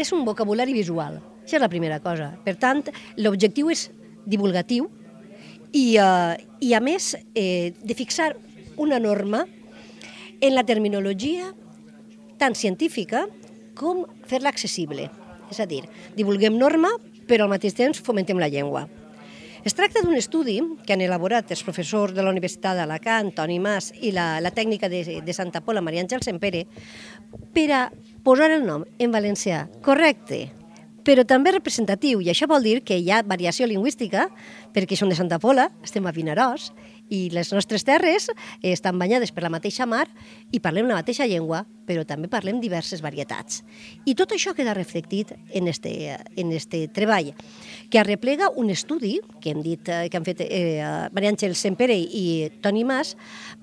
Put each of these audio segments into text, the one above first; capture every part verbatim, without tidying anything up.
és un vocabulari visual. Això és la primera cosa. Per tant, l'objectiu és divulgatiu i, eh, i a més, eh, de fixar una norma en la terminologia tant científica com fer-la accessible. És a dir, divulguem norma, però al mateix temps fomentem la llengua. Es tracta d'un estudi que han elaborat els professors de la Universitat d'Alacant, Toni Mas, i la, la tècnica de, de Santa Pola, Maria Àngel Sempere, per a posar el nom en valencià correcte, però també representatiu, i això vol dir que hi ha variació lingüística, perquè som de Santa Pola, estem a Vinaròs, i les nostres terres estan banyades per la mateixa mar i parlem la mateixa llengua, però també parlem diverses varietats. I tot això queda reflectit en este, en este treball, que arreplega un estudi que hem dit, que han fet eh, Maria Àngel Sempere i Toni Mas,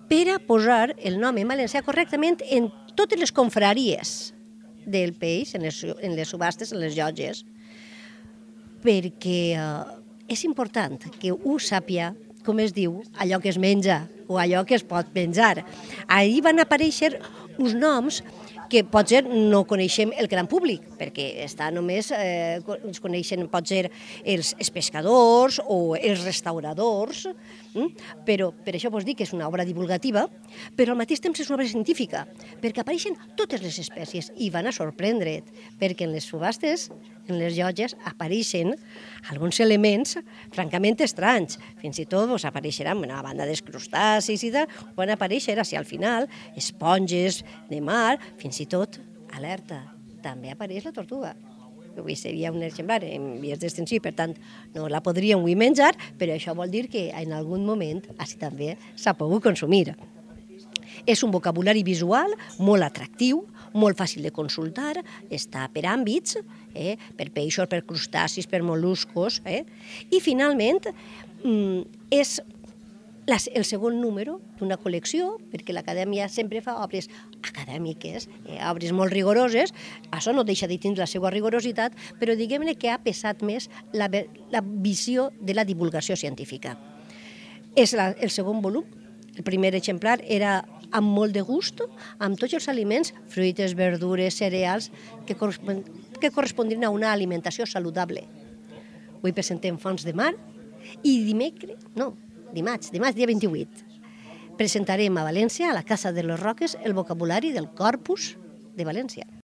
per a posar el nom en valencià correctament en totes les confraries del peix, en les, en les subhastes, en les llotges, perquè eh, és important que un sàpia com es diu, allò que es menja o allò que es pot menjar. Ahir van aparèixer uns noms que potser no coneixem el gran públic, perquè està només, eh, ens coneixen potser els, els pescadors o els restauradors, hm? Però per això vos dic que és una obra divulgativa, però al mateix temps és una obra científica, perquè apareixen totes les espècies i van a sorprendre't, perquè en les subhastes, en les llotges, apareixen alguns elements francament estranys. Fins i tot vos apareixeran una banda dels crustacis i tal, van aparèixer, així al final, esponges de mar, fins i tot, alerta, també apareix la tortuga. Avui seria un exemplar en vies d'extensió, per tant, no la podríem avui menjar, però això vol dir que en algun moment així també s'ha pogut consumir. És un vocabulari visual molt atractiu, molt fàcil de consultar, està per àmbits, eh, per peixos, per crustacis, per mol·luscos, eh? I finalment és el segon número d'una col·lecció, perquè l'Acadèmia sempre fa obres acadèmiques, eh, obres molt rigoroses, això no deixa de tindre la seva rigorositat, però diguem-ne que ha pesat més la, la visió de la divulgació científica. És la, el segon volum, el primer exemplar era amb molt de gust, amb tots els aliments, fruites, verdures, cereals, que, correspon, que correspondrien a una alimentació saludable. Avui presentem Fonts de Mar i dimecres, no, dimarts, dimarts dia vint-i-vuit, presentarem a València, a la Casa de les Roques, el vocabulari del Corpus de València.